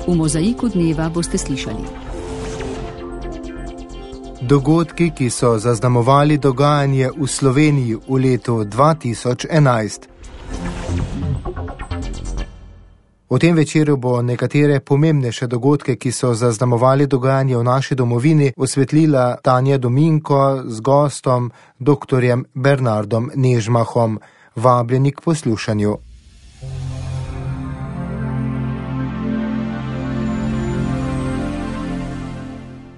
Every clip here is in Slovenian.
V Mozaiku dneva boste slišali. Dogodki, ki so zaznamovali dogajanje v Sloveniji v letu 2011. V tem večeru bo nekatere pomembnejše dogodke, ki so zaznamovali dogajanje v naši domovini, osvetlila Tanja Dominko z gostom dr. Bernardom Nežmahom. Vabljeni k poslušanju.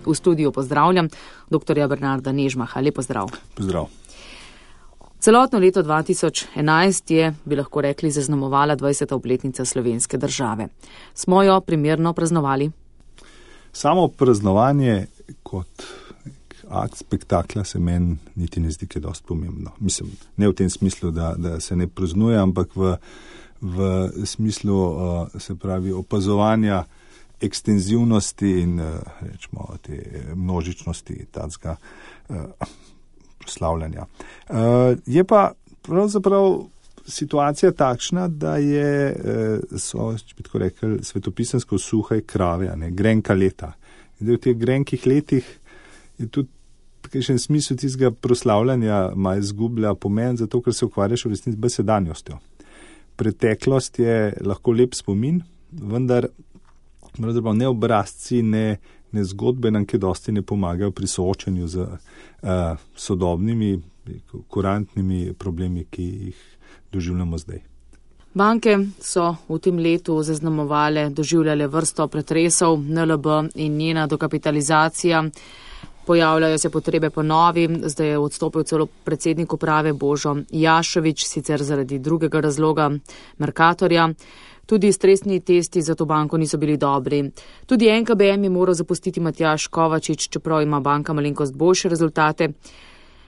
V studiu pozdravljam dr. Bernarda Nežmaha. Lep pozdrav. Pozdrav. Celotno leto 2011 je, bi lahko rekli, zaznamovala 20. obletnica slovenske države. Smo jo primerno praznovali? Samo praznovanje kot akt spektakla se meni niti ne zdi, kaj dosti pomembno. Mislim, ne v tem smislu, da se ne praznuje, ampak v smislu, se pravi, opazovanja ekstenzivnosti in rečemo te množičnosti tacga proslavljanja. Je pa pravzaprav situacija takšna, da so, če bi tako rekli, svetopisansko suhe krave, grenka leta. In v teh grenkih letih je tudi takšen smisel tistega proslavljanja malo izgublja pomen, zato ker se ukvarjaš v resnici z sedanjostjo. Preteklost je lahko lep spomin, vendar ne obrazci, ne zgodbe nam kaj dosti ne pomagajo pri soočanju z sodobnimi, kurantnimi problemi, ki jih doživljamo zdaj. Banke so v tem letu zaznamovale, doživljale vrsto pretresov, NLB in njena dokapitalizacija. Pojavljajo se potrebe po novi, zdaj je odstopil celo predsednik uprave Božo Jašovič, sicer zaradi drugega razloga, Mercatorja. Tudi stresni testi za to banko niso bili dobri. Tudi NKBM je moral zapustiti Matjaž Kovačič, čeprav ima banka malenkost boljše rezultate.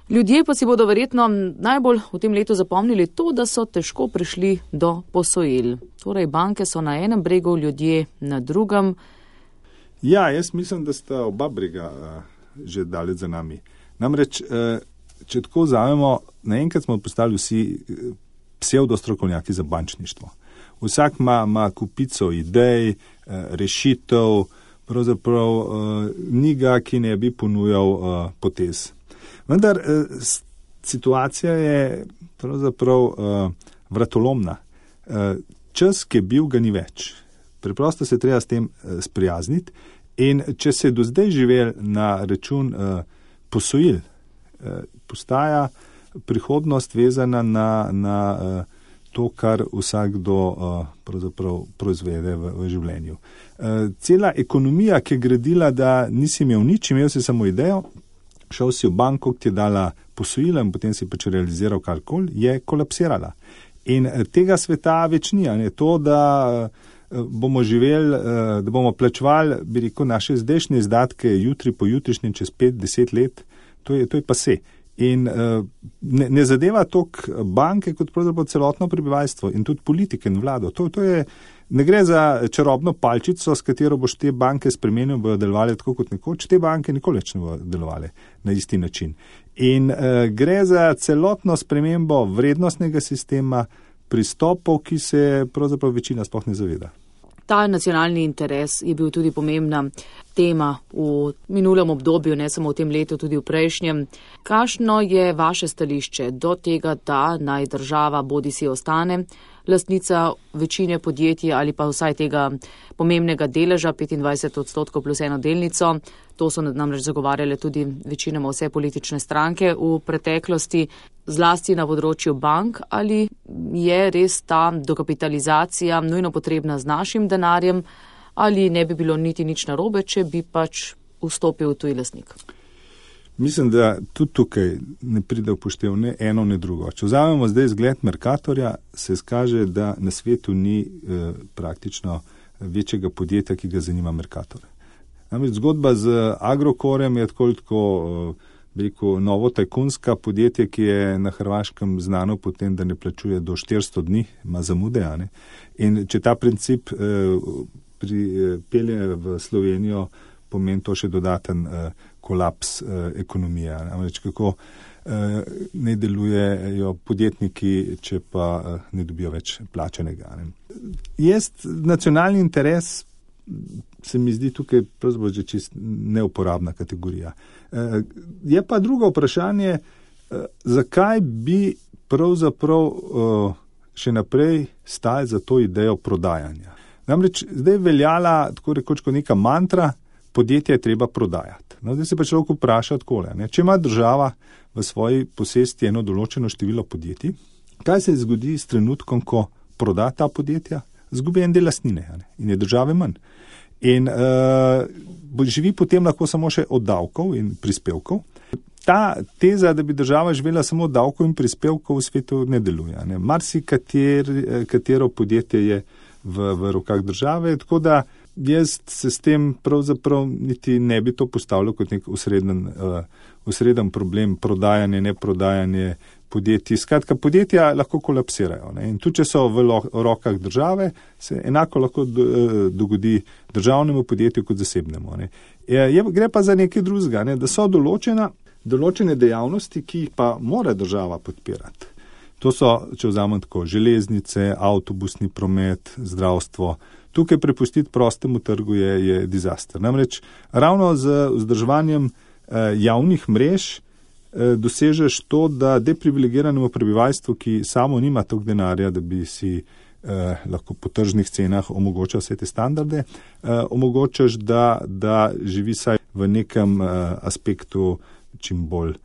Ljudje pa si bodo verjetno najbolj v tem letu zapomnili to, da so težko prišli do posojil. Torej, banke so na enem bregu, ljudje na drugem. Ja, jaz mislim, da sta oba brega že daleč za nami. Namreč, če tako vzamemo, naenkrat smo postali vsi psevdostrokovnjaki za bančništvo. Vsak ima kupico idej, rešitev, pravzaprav ni ga, ki ne bi ponujal potez. Vendar situacija je pravzaprav vratolomna. Čas, ki je bil, ga ni več. Preprosto se treba s tem sprijazniti in če se je do zdaj živel na račun posojil, postaja prihodnost vezana na to, kar vsakdo pravzaprav proizvede v življenju. Cela ekonomija, ki je gradila, da nisi imel nič, imel si samo idejo, šel si v banko, ki ti je dala posojila in potem si pač realiziral karkoli, je kolapsirala. In tega sveta več ni. To, da bomo živeli, da bomo plačevali, bi rekel, naše zdajšnje izdatke jutri po jutrišnjem čez 5-10 let, to je pase. In ne zadeva toliko banke kot pravzaprav celotno prebivalstvo in tudi politike in vlado. Ne gre za čarobno palčico, s katero boš te banke spremenil, bojo delovali tako kot nekoč. Te banke nikoli več ne bojo delovali na isti način. In gre za celotno spremembo vrednostnega sistema, pristopov, ki se pravzaprav večina sploh ne zaveda. Ta nacionalni interes je bil tudi pomembna tema v minulem obdobju, ne samo v tem letu, tudi v prejšnjem. Kakšno je vaše stališče do tega, da naj država bodisi ostane lastnica večine podjetij ali pa vsaj tega pomembnega deleža, 25% plus eno delnico? To so namreč zagovarjale tudi večinoma vse politične stranke v preteklosti, zlasti na področju bank. Ali je res ta dokapitalizacija nujno potrebna z našim denarjem ali ne bi bilo niti nič narobe, če bi pač vstopil tuji lastnik? Mislim, da tudi tukaj ne pride upoštev ne eno, ne drugo. Če vzamemo zdaj zgled Mercatorja, se skaže, da na svetu ni praktično večjega podjetja, ki ga zanima Mercator. Namreč zgodba z Agrokorjem je tako novo tajkunska podjetje, ki je na Hrvaškem znano potem, da ne plačuje do 400 dni, ima zamude. In če ta princip pripelje v Slovenijo, pomeni to še dodaten kolaps ekonomije. Namreč kako ne delujejo podjetniki, če pa ne dobijo več plačanega. Nacionalni interes se mi zdi tukaj pravzaprav že čist neuporabna kategorija. Je pa drugo vprašanje, zakaj bi pravzaprav še naprej stali za to idejo prodajanja. Namreč zdaj veljala tako rekoč kot neka mantra, podjetje je treba prodajati. No, zdaj se pa človek vpraša takole, če ima država v svoji posesti eno določeno število podjetij, kaj se zgodi s trenutkom, ko proda ta podjetja? Zgubi en del lastnine in je države manj. In živi potem lahko samo še od davkov in prispevkov. Ta teza, da bi država živela samo od davkov in prispevkov v svetu ne deluje. Katero podjetje je v rokah države, tako da jaz se s tem pravzaprav niti ne bi to postavljal kot nek usreden problem, prodajanje, neprodajanje podjetij. Skratka, podjetja lahko kolapsirajo. In tudi, če so v rokah države, se enako lahko dogodi državnemu podjetju kot zasebnemu. Gre pa za nekaj drugega, da so določene dejavnosti, ki jih pa mora država podpirati. To so, če vzamem tako, železnice, avtobusni promet, zdravstvo. Tukaj prepustiti prostemu trgu je dizaster. Namreč ravno z vzdrževanjem javnih mrež dosežeš to, da deprivilegiranemu prebivalstvu, ki samo nima toliko denarja, da bi si lahko po tržnih cenah omogočal vse te standarde, omogočaš, da živi saj v nekem aspektu čim bolj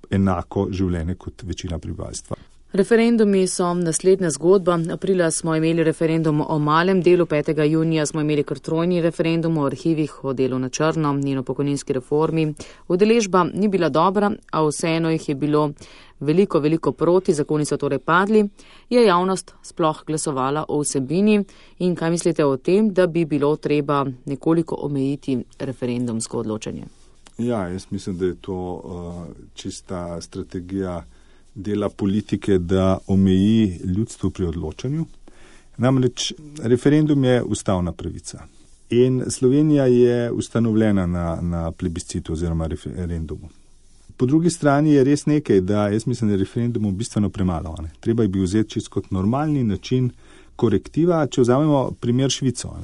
enako življenje kot večina prebivalstva. Referendumi so naslednja zgodba. Aprila smo imeli referendum o malem delu, 5. junija smo imeli kar trojni referendum o arhivih, o delu na črno in o pokojninski reformi. Udeležba ni bila dobra, a vseeno jih je bilo veliko proti, zakoni so torej padli. Je javnost sploh glasovala o vsebini in kaj mislite o tem, da bi bilo treba nekoliko omejiti referendumsko odločanje? Ja, jaz mislim, da je to čista strategija dela politike, da omeji ljudstvo pri odločanju. Namreč referendum je ustavna pravica in Slovenija je ustanovljena na plebiscitu oziroma referendumu. Po drugi strani je res nekaj, da jaz mislim, da je referendumov bistveno premalo. Treba bi vzeti čisto kot normalni način korektiva, če vzamemo primer Švico.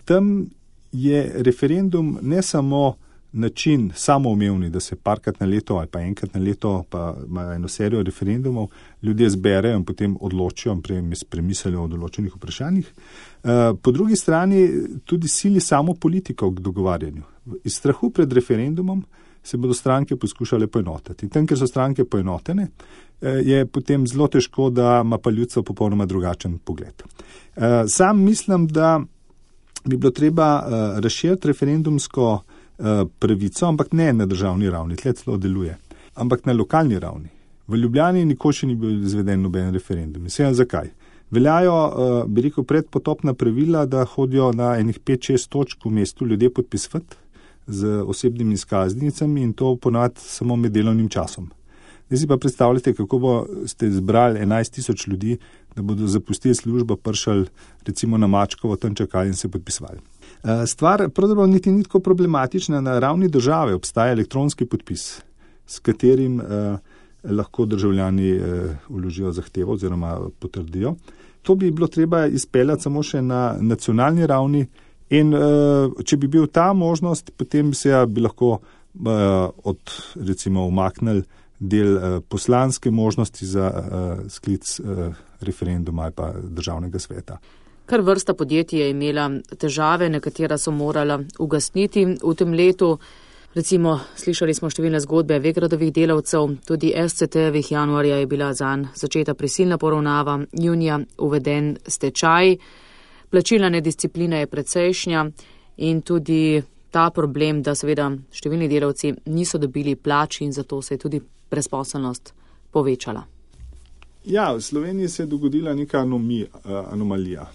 Tam je referendum ne samo način samoumevni, da se parkrat na leto ali pa enkrat na leto pa imajo eno serijo referendumov, ljudje zberejo in potem odločijo in premislijo o določenih vprašanjih. Po drugi strani tudi sili samo politiko k dogovarjanju. Iz strahu pred referendumom se bodo stranke poskušale poenotiti. In tam, ker so stranke poenotene, je potem zelo težko, da ima pa ljudstvo popolnoma drugačen pogled. Sam mislim, da bi bilo treba razširiti referendumsko pravico, ampak ne na državni ravni, tle celo deluje, ampak na lokalni ravni. V Ljubljani nikoli še ni bil izveden noben referendum. Mislim, zakaj? Veljajo, bi rekel, predpotopna pravila, da hodijo na enih 5-6 točk v mestu ljudje podpisovati z osebnimi izkaznicami in to ponavadi samo med delovnim časom. Zdaj si pa predstavljate, kako ste zbrali 11.000 ljudi, da bodo zapustili službo, prišli recimo na Mačkovo, tam čakali in se podpisovali. Stvar pravzaprav niti ni tako problematična. Na ravni države obstaja elektronski podpis, s katerim lahko državljani vložijo zahtevo oziroma potrdijo. To bi bilo treba izpeljati samo še na nacionalni ravni in če bi bil ta možnost, potem bi lahko recimo umaknili del poslanske možnosti za sklic referenduma ali pa državnega sveta. Kar vrsta podjetij je imela težave, nekatera so morala ugasniti v tem letu. Recimo, slišali smo številne zgodbe Vegradovih delavcev, tudi SCT-evih. Januarja je bila zanj začeta prisilna poravnava, junija uveden stečaj, plačilna nedisciplina je precejšnja in tudi ta problem, da seveda številni delavci niso dobili plač in zato se je tudi brezposelnost povečala. Ja, v Sloveniji se je dogodila neka anomalija.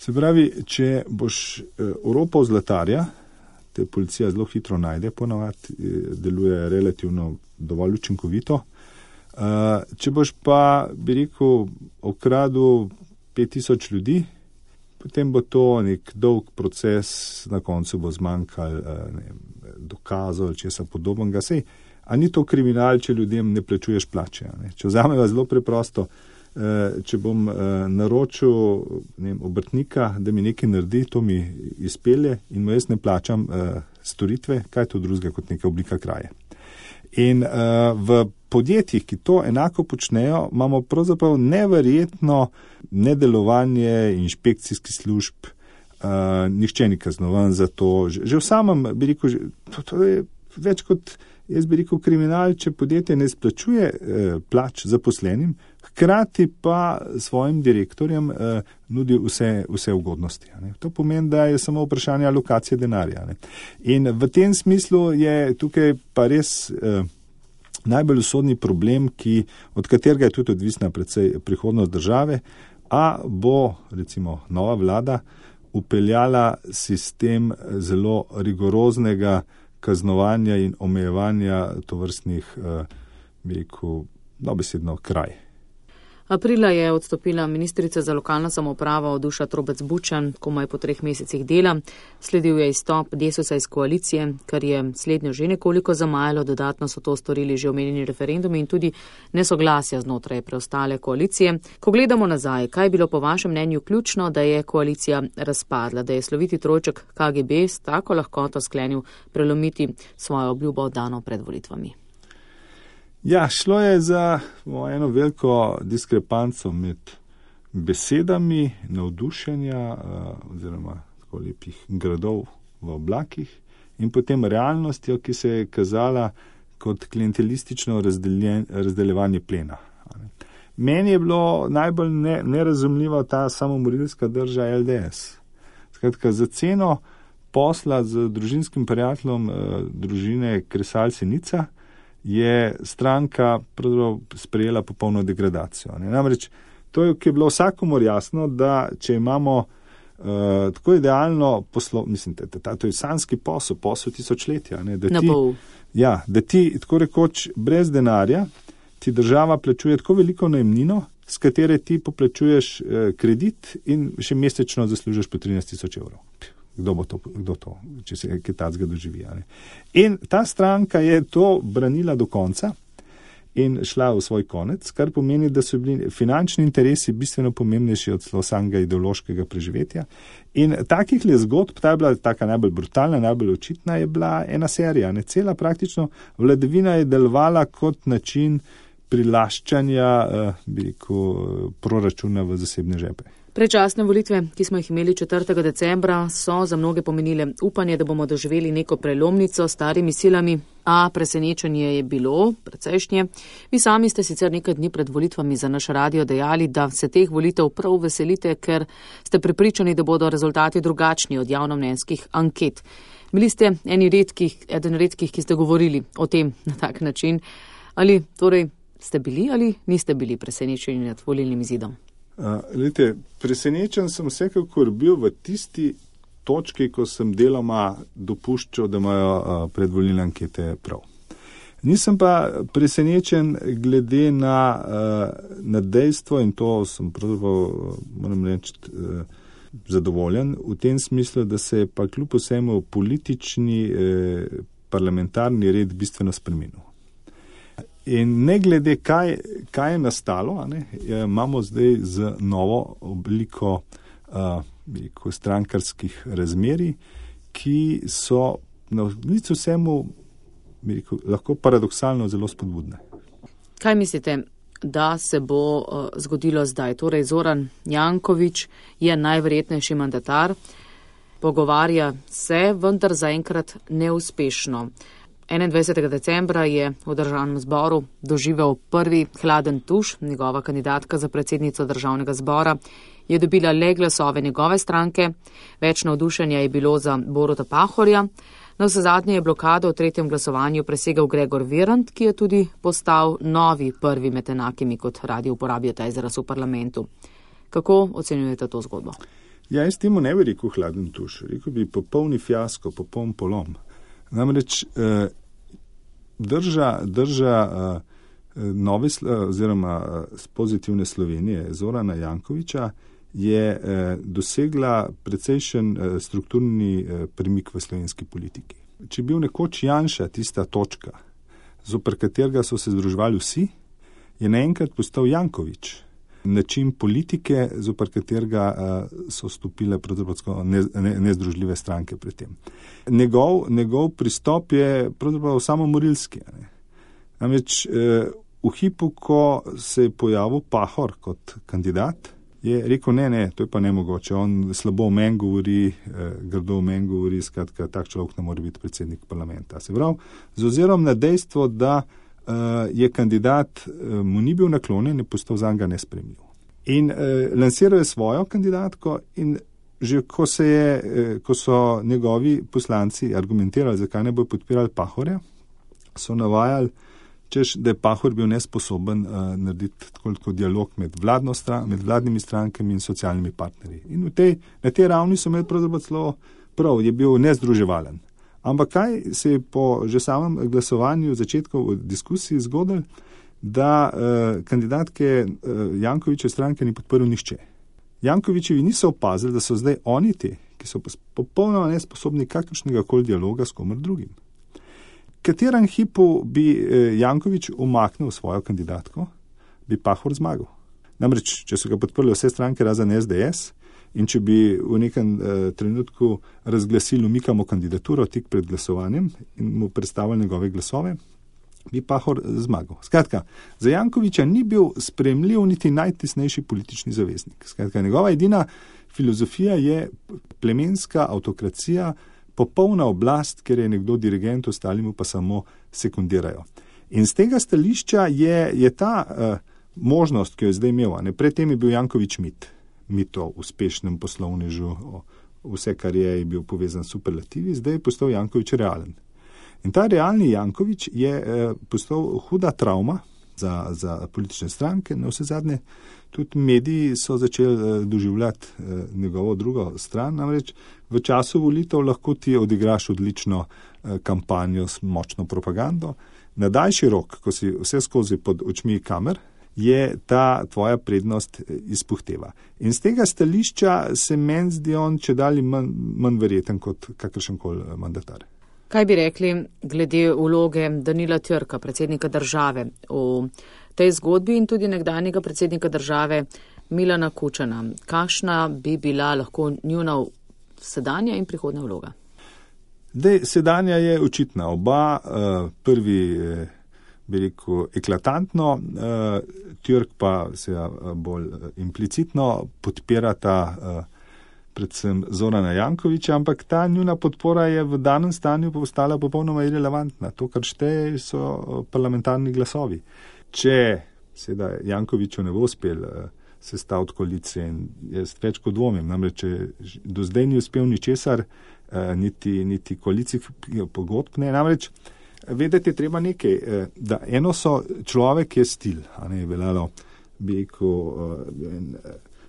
Se pravi, če boš oropal zlatarja, te policija zelo hitro najde, ponavadi deluje relativno dovolj učinkovito. Če boš pa, bi rekel, okradel 5000 ljudi, potem bo to nek dolg proces, na koncu bo zmanjkal dokazov ali česa podobnega. A ni to kriminal, če ljudem ne plačuješ plače. Če vzameva zelo preprosto, če bom naročil obrtnika, da mi nekaj naredi, to mi izpelje in mu jaz ne plačam storitve, kaj je to drugega kot neka oblika kraje. In v podjetjih, ki to enako počnejo, imamo pravzaprav neverjetno nedelovanje inšpekcijskih služb, nihče ni kaznovan za to. Že v samem, bi rekel, to je več kot, jaz bi rekel, kriminal, če podjetje ne izplačuje plač zaposlenim, hkrati pa svojim direktorjem nudi vse ugodnosti. To pomeni, da je samo vprašanje alokacije denarja. In v tem smislu je tukaj pa res najbolj usodni problem, od katerega je tudi odvisna predvsej prihodnost države, a bo recimo nova vlada upeljala sistem zelo rigoroznega kaznovanja in omejevanja tovrstnih, bi rekel, dobesedno kraj. Aprila je odstopila ministrica za lokalno samoupravo Duša Trobec Bučan, komaj po 3 mesecih dela. Sledil je izstop Desusa iz koalicije, kar je slednjo že nekoliko zamajalo, dodatno so to storili že omenjeni referendumi in tudi nesoglasja znotraj preostale koalicije. Ko gledamo nazaj, kaj je bilo po vašem mnenju ključno, da je koalicija razpadla, da je sloviti trojček KGB s tako lahkoto sklenil prelomiti svojo obljubo dano pred volitvami? Ja, šlo je za eno veliko diskrepanco med besedami navdušenja oziroma tako lepih gradov v oblakih in potem realnostjo, ki se je kazala kot klientelistično razdeljevanje plena. Meni je bilo najbolj nerazumljiva ta samomorilska drža LDS. Skratka, za ceno posla z družinskim prijateljem družine Kresalci-Nica je stranka sprejela popolno degradacijo. Namreč to je bilo vsakomur jasno, da če imamo tako idealno to je sanski posel tisočletja, da ti tako rekoč brez denarja ti država plačuje tako veliko najemnino, s katere ti poplačuješ kredit in še mesečno zaslužiš po 13,000 evrov. Kdo to, če se kaj takega doživi. In ta stranka je to branila do konca in šla v svoj konec, kar pomeni, da so bili finančni interesi bistveno pomembnejši od samega ideološkega preživetja. In takih le zgodb, ta je bila taka najbolj brutalna, najbolj očitna, je bila ena serija. Cela praktično vladavina je delovala kot način prilaščanja proračuna v zasebne žepe. Predčasne volitve, ki smo jih imeli 4. decembra, so za mnoge pomenile upanje, da bomo doživeli neko prelomnico s starimi silami, a presenečenje je bilo precejšnje. Vi sami ste sicer nekaj dni pred volitvami za naš radio dejali, da se teh volitev prav veselite, ker ste prepričani, da bodo rezultati drugačni od javnomnenjskih anket. Bili ste eden redkih, ki ste govorili o tem na tak način. Ali torej ste bili ali niste bili presenečeni nad volilnim izidom? Presenečen sem vsekakor bil v tisti točki, ko sem deloma dopuščal, da imajo predvolilne ankete prav. Nisem pa presenečen glede na dejstvo, in to sem pravzaprav, moram reči, zadovoljen v tem smislu, da se je pa kljub vsemu politični parlamentarni red bistveno spremenil. In ne glede, kaj je nastalo, imamo zdaj z novo obliko strankarskih razmerij, ki so na licu vsemu lahko paradoksalno zelo spodbudne. Kaj mislite, da se bo zgodilo zdaj? Torej, Zoran Janković je najverjetnejši mandatar, pogovarja se, vendar zaenkrat neuspešno. 21. decembra je v Državnem zboru doživel prvi hladen tuš. Njegova kandidatka za predsednico Državnega zbora je dobila le glasove njegove stranke. Več navdušenja je bilo za Boruta Pahorja. Navsezadnje je blokado v 3. glasovanju presegel Gregor Virant, ki je tudi postal novi prvi med enakimi, kot radi uporabijo ta izraz v parlamentu. Kako ocenjujete to zgodbo? Ja, jaz temu ne bi rekel hladen tuš. Rekel bi popolni fiasko, popoln polom. Namreč drža nove oziroma z pozitivne Slovenije Zorana Jankovića je dosegla precejšen strukturni premik v slovenski politiki. Če je bil nekoč Janša tista točka, zoper katerega so se združevali vsi, je naenkrat postal Janković način politike, zoper katerega so stopile nezdružljive stranke pred tem. Njegov pristop je pravzaprav samomorilski. Namreč v hipu, ko se je pojavil Pahor kot kandidat, je rekel, ne, to je pa nemogoče, on slabo o meni govori, grdo o meni govori, skratka, tak človek ne more biti predsednik parlamenta. Se pravi, z ozirom na dejstvo, da je kandidat mu ni bil naklonjen, je postal zanj nesprejemljiv. In lansiral je svojo kandidatko in že ko so njegovi poslanci argumentirali, zakaj ne bojo podpirali Pahorja, so navajali, češ, da je Pahor bil nesposoben narediti tako dialog med vladnimi strankami in socialnimi partnerji. In na tej ravni so imeli pravzaprav celo prav, je bil nezdruževalen. Ampak kaj se je po že samem glasovanju začetku v diskusiji zgodilo, da kandidatke Jankovićeve stranke ni podprl nihče. Jankovićevi niso opazili, da so zdaj oni ti, ki so popolnoma nesposobni kakršnega koli dialoga s komer drugim. Katerem hipu bi Janković umaknil svojo kandidatko, bi Pahor zmagal. Namreč, če so ga podprli vse stranke razen SDS in če bi v nekem trenutku razglasili umikamo kandidaturo tik pred glasovanjem in mu predstavili njegove glasove, bi Pahor zmagal. Skratka, za Jankovića ni bil sprejemljiv niti najtesnejši politični zaveznik. Skratka, njegova edina filozofija je plemenska avtokracija, popolna oblast, ker je nekdo dirigent, ostali mu pa samo sekundirajo. In z tega stališča je ta možnost, ki jo je zdaj imel, predtem je bil Janković mit o uspešnem poslovnežu, vse, kar je bil povezan s superlativi, zdaj je postal Janković realen. In ta realni Janković je postal huda travma za politične stranke, na vse zadnje tudi mediji so začeli doživljati njegovo drugo stran, namreč v času volitev lahko ti odigraš odlično kampanjo s močno propagando. Na daljši rok, ko si vse skozi pod očmi kamer, je ta tvoja prednost izpuhteva. In z tega stališča se meni zdi on čedalje manj verjeten kot kakršenkoli mandatar. Kaj bi rekli glede vloge Danila Türka, predsednika države, v tej zgodbi in tudi nekdanjega predsednika države Milana Kučana? Kakšna bi bila lahko njuna sedanja in prihodnja vloga? Sedanja je očitna. Oba, prvi bi rekel eklatantno, Türk pa se bolj implicitno podpirata predvsem Zorana Jankovića, ampak ta njuna podpora je v danem stanju postala popolnoma irelevantna. To, kar šteje, so parlamentarni glasovi. Če seveda Jankoviću ne bo uspel sestaviti koalicije, in jaz več kot dvomim, namreč do zdaj ni uspel ničesar, niti koalicijskih pogodb ne. Namreč vedeti je treba nekaj, da eno so človek je stil, a ne veljalo bi rekel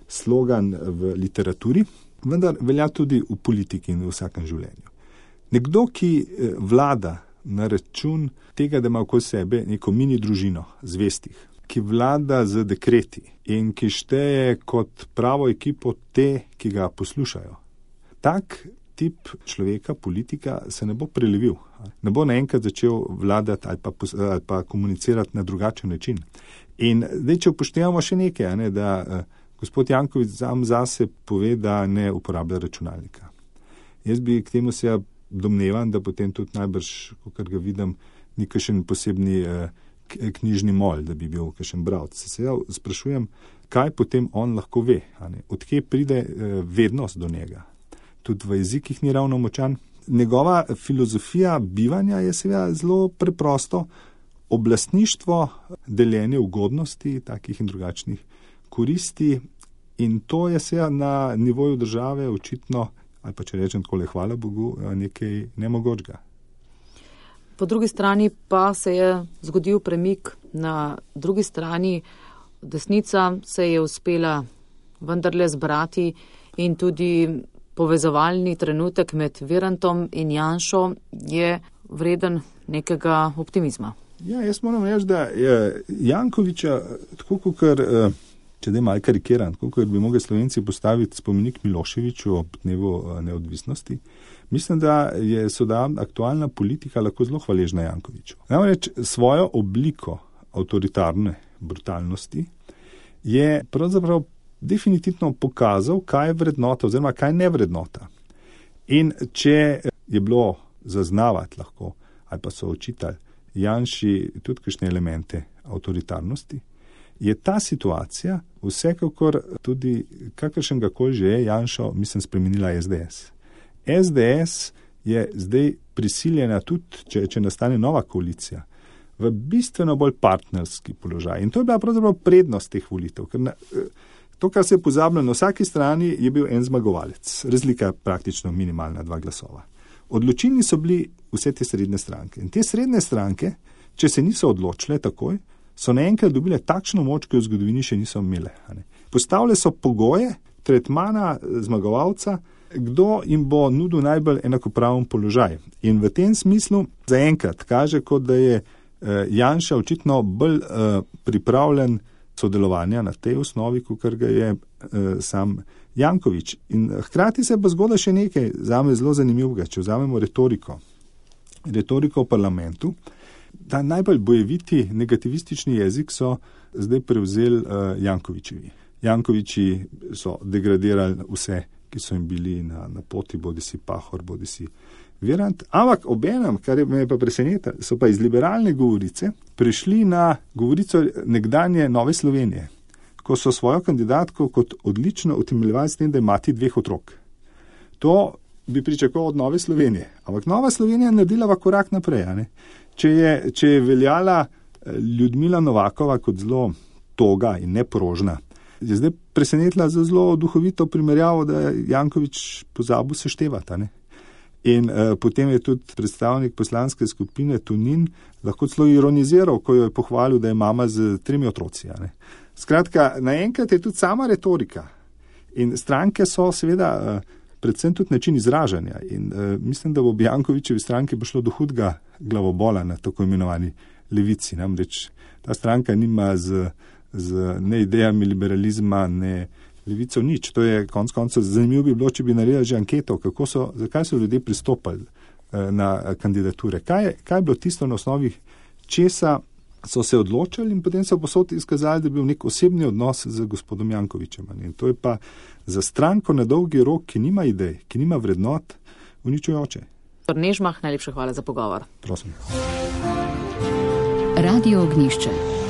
slogan v literaturi, vendar velja tudi v politiki in v vsakem življenju. Nekdo, ki vlada na račun tega, da ima okoli sebe neko mini družino zvestih, ki vlada z dekreti in ki šteje kot pravo ekipo te, ki ga poslušajo. Tak tip človeka, politika, se ne bo prelevil. Ne bo naenkrat začel vladati ali pa komunicirati na drugačen način. In zdaj, če upoštevamo še nekaj, da gospod Janković sam zase pove, da ne uporablja računalnika. Jaz bi k temu se domnevam, da potem tudi najbrž, kot ga vidim, ni kakšen posebni knjižni mol, da bi bil kakšen bralec. Se sprašujem, kaj potem on lahko ve, odkje pride vednost do njega. Tudi v jezikih ni ravno močan. Njegova filozofija bivanja je seveda zelo preprosto oblastništvo, deljenje ugodnosti, takih in drugačnih koristi, in to je seveda na nivoju države očitno, ali pa če rečem takole, hvala Bogu, nekaj nemogočega. Po drugi strani pa se je zgodil premik, na drugi strani desnica se je uspela vendarle zbrati in tudi povezovalni trenutek med Virantom in Janšo je vreden nekega optimizma. Ja, jaz moram reči, da je Jankovića, tako kot če da je malo karikiran, tako kot bi mogli Slovenci postaviti spomenik Miloševiću ob dnevu neodvisnosti, mislim, da je aktualna politika lahko zelo hvaležna Jankoviću. Namreč svojo obliko avtoritarne brutalnosti je pravzaprav definitivno pokazal, kaj je vrednota oziroma kaj ne vrednota. In če je bilo zaznavati lahko, ali pa so očitali Janši tudi kakšne elemente avtoritarnosti, je ta situacija vsekakor tudi kakršnega koli že je Janšo, mislim, spremenila SDS. SDS je zdaj prisiljena tudi, če nastane nova koalicija, v bistveno bolj partnerski položaj. In to je bila pravzaprav prednost teh volitev. Ker to, kar se je pozabilo, na vsaki strani je bil en zmagovalec. Razlika je praktično minimalna 2 glasova. Odločilni so bili vse te srednje stranke. In te srednje stranke, če se niso odločile takoj, so naenkrat dobile takšno moč, ki jo v zgodovini še niso imele. Postavile so pogoje tretmana zmagovalca, kdo jim bo nudil najbolj enakopraven položaj. In v tem smislu zaenkrat kaže, kot da je Janša očitno bolj pripravljen sodelovanja na tej osnovi, kot ga je sam Janković. In hkrati se pa zgoda še nekaj, zame zelo zanimivega, če vzamemo retoriko v parlamentu. Ta najbolj bojeviti negativistični jezik so zdaj prevzeli Jankovićevi. Jankovići so degradirali vse, ki so jim bili na poti, bodisi Pahor, bodisi Virant. Ampak obenem, kar me je pa presenetilo, so pa iz liberalne govorice prišli na govorico nekdanje Nove Slovenije, ko so svojo kandidatko kot odlično utemeljevali s tem, da je mati 2 otrok. To bi pričakoval od Nove Slovenije. Ampak Nova Slovenija je naredila korak naprej. Če je veljala Ljudmila Novakova kot zelo toga in neprožna, je zdaj presenetila za zelo duhovito primerjavo, da je Janković pozabil seštevati. In potem je tudi predstavnik poslanske skupine Tonin lahko celo ironiziral, ko jo je pohvalil, da je mama z 3 otroci. Skratka, naenkrat je tudi sama retorika. In stranke so seveda predvsem tudi način izražanja. In mislim, da bo v Jankovićevi stranki bo šlo do hudega glavobola na tako imenovani levici. Namreč ta stranka nima z ne idejami liberalizma, ne levico nič. To je konec koncev zanimivo bi bilo, če bi naredili že anketo, zakaj so ljudje pristopali na kandidature. Kaj je bilo tisto na osnovi, česa so se odločili in potem so posod izkazali, da je bil nek osebni odnos z gospodom Jankovićem. In to je pa za stranko na dolgi rok, ki nima idej, ki nima vrednot, uničujoče. Nežmah, najlepša hvala za pogovor. Prosim. Radio Ognjišče.